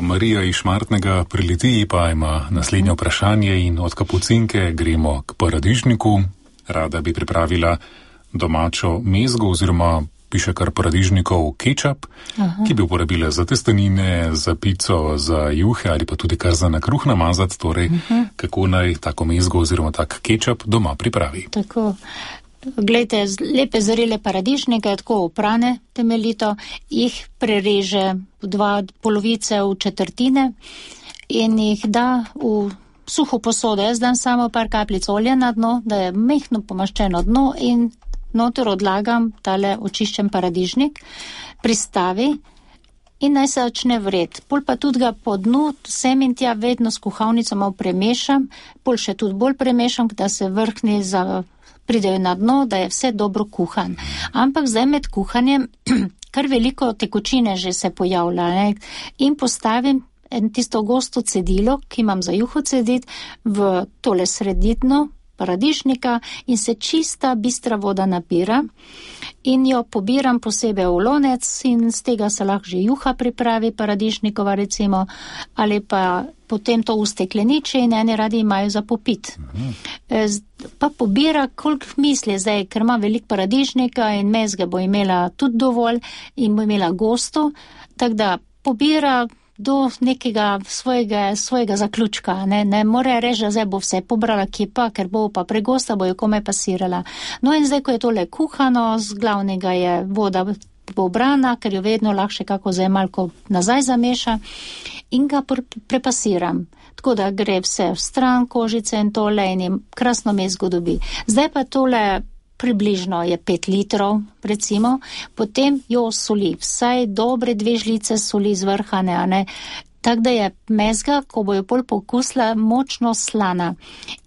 Marija iz Šmartnega pri Litiji pa ima naslednje vprašanje in od kapucinke gremo k paradižniku. Rada bi pripravila domačo mezgo oziroma piše kar paradižnikov kečap, ki bi uporabila za testenine, za pico, za juhe ali pa tudi kar za na kruh namazati. Torej, kako naj tako mezgo oziroma tak kečap doma pripravi. Tako. Glejte, lepe zrele paradižnike, tako oprane temeljito, jih prereže v 2 polovice v četrtine in jih da v suho posodo. Jaz dam samo par kapljic olja na dno, da je mehko pomaščeno dno in noter odlagam tale očiščen paradižnik, pristavi in naj se začne vret. Pol pa tudi ga po dnu sem in tja vedno s kuhalnico malo premešam, pol še tudi bolj premešam, da se vrhnji pridejo na dno, da je vse dobro kuhan. Ampak zdaj med kuhanjem kar veliko tekočine že se pojavlja, ne? In postavim tisto gosto cedilo, ki imam za juho cediti, v tole sredino paradižnika in se čista bistra voda nabira in jo pobiram posebej v lonec in z tega se lahko že juha pripravi, paradižnikova recimo, ali pa potem to ustekleniče in eni radi imajo za popit. Pa pobira, koliko misli zdaj, ker ima veliko paradižnika in mezge bo imela tudi dovolj in bo imela gosto, tako da pobira do nekega svojega zaključka. Ne more reči, da zdaj bo vse pobrala, kje pa, ker bo pa pregosta, bo jo komaj pasirala. No in zdaj, ko je tole kuhano, z glavnega je voda pobrana, ker jo vedno lahko še kako zdaj malko nazaj zameša in ga prepasiram. Tako da gre vse v stran, kožice in tole in jim krasno mezgo dobi. Zdaj pa tole približno je 5 litrov, recimo, potem jo soli, vsaj dobre 2 žlice soli zvrhane, a ne, tak da je mezga, ko bo jo pol pokusila, močno slana.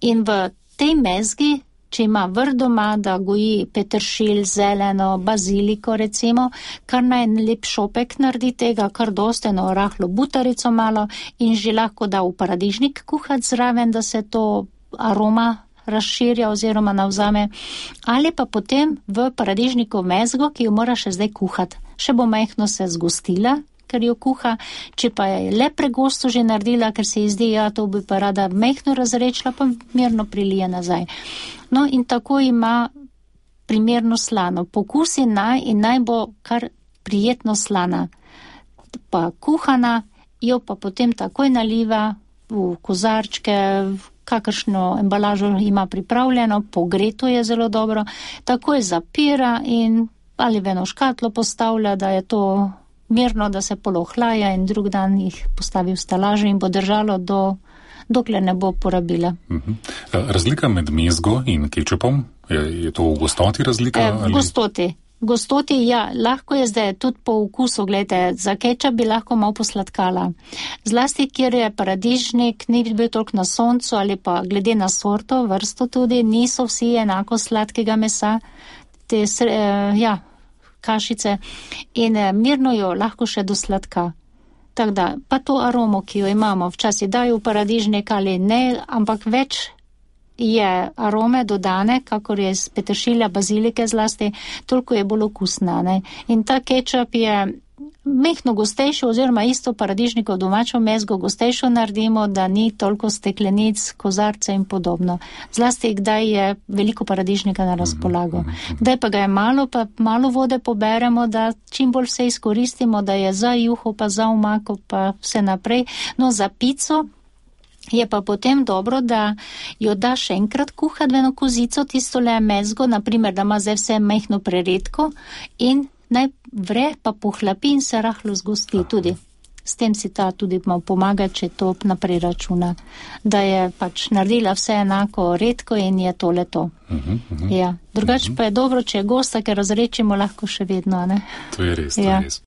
In v tej mezgi, če ima vrt doma, da goji peteršilj, zeleno, baziliko recimo, kar naj lep šopek naredi tega, kar dosteno rahlo butarico malo in že lahko da v paradižnik kuhati zraven, da se to aroma razširja oziroma navzame, ali pa potem v paradižnikov mezgo, ki jo mora še zdaj kuhati. Še bo majhno se zgostila, ker jo kuha, če pa je le pregosto že naredila, ker se ji zdi, ja, to bi pa rada majhno razrečila, pa mirno prilije nazaj. No in tako ima primerno slano. Pokusi naj bo kar prijetno slana. Pa kuhana, jo pa potem takoj naliva v kozarčke, kakršno embalažo ima pripravljeno, pogreto je zelo dobro, takoj zapira in ali v eno škatlo postavlja, da je to mirno, da se polohlaja in drug dan jih postavi v stalažo in bo držalo dokler ne bo porabila. Razlika med mezgo in kečupom, je to v gostoti razlika? V gostoti, ja, lahko je zdaj tudi po okusu, gledajte, za kečap bi lahko malo posladkala. Zlasti, kjer je paradižnik, ni bil toliko na soncu ali pa glede na sorto, vrsto tudi, niso vsi enako sladkega mesa, te, kašice in mirno jo lahko še do sladka. Tako da, pa to aromo, ki jo imamo, včasih dajo v paradižnik ali ne, ampak več je arome dodane, kakor je z peteršilja, bazilike zlasti, toliko je bolj okusna, ne. In ta kečap je mehno gostejšo, oziroma isto paradižnikov domačo mezgo gostejšo naredimo, da ni toliko steklenic, kozarce in podobno. Zlasti, kdaj je veliko paradižnika na razpolago. Kdaj pa ga je malo, pa malo vode poberemo, da čim bolj vse izkoristimo, da je za juho, pa za omako, pa vse naprej. No, za pico je pa potem dobro, da jo da še enkrat kuhati v eno kozico, tisto le mezgo, naprimer, da ima zdaj vse mehno preredko in naj vre, pa pohlapi in se rahlo zgosti tudi. S tem si ta tudi malo pomaga, če to naprej računa, da je pač naredila vse enako redko in je tole to. Ja. Drugače pa je dobro, če je gosta, ker razrečimo lahko še vedno, ne? To je res, to je res.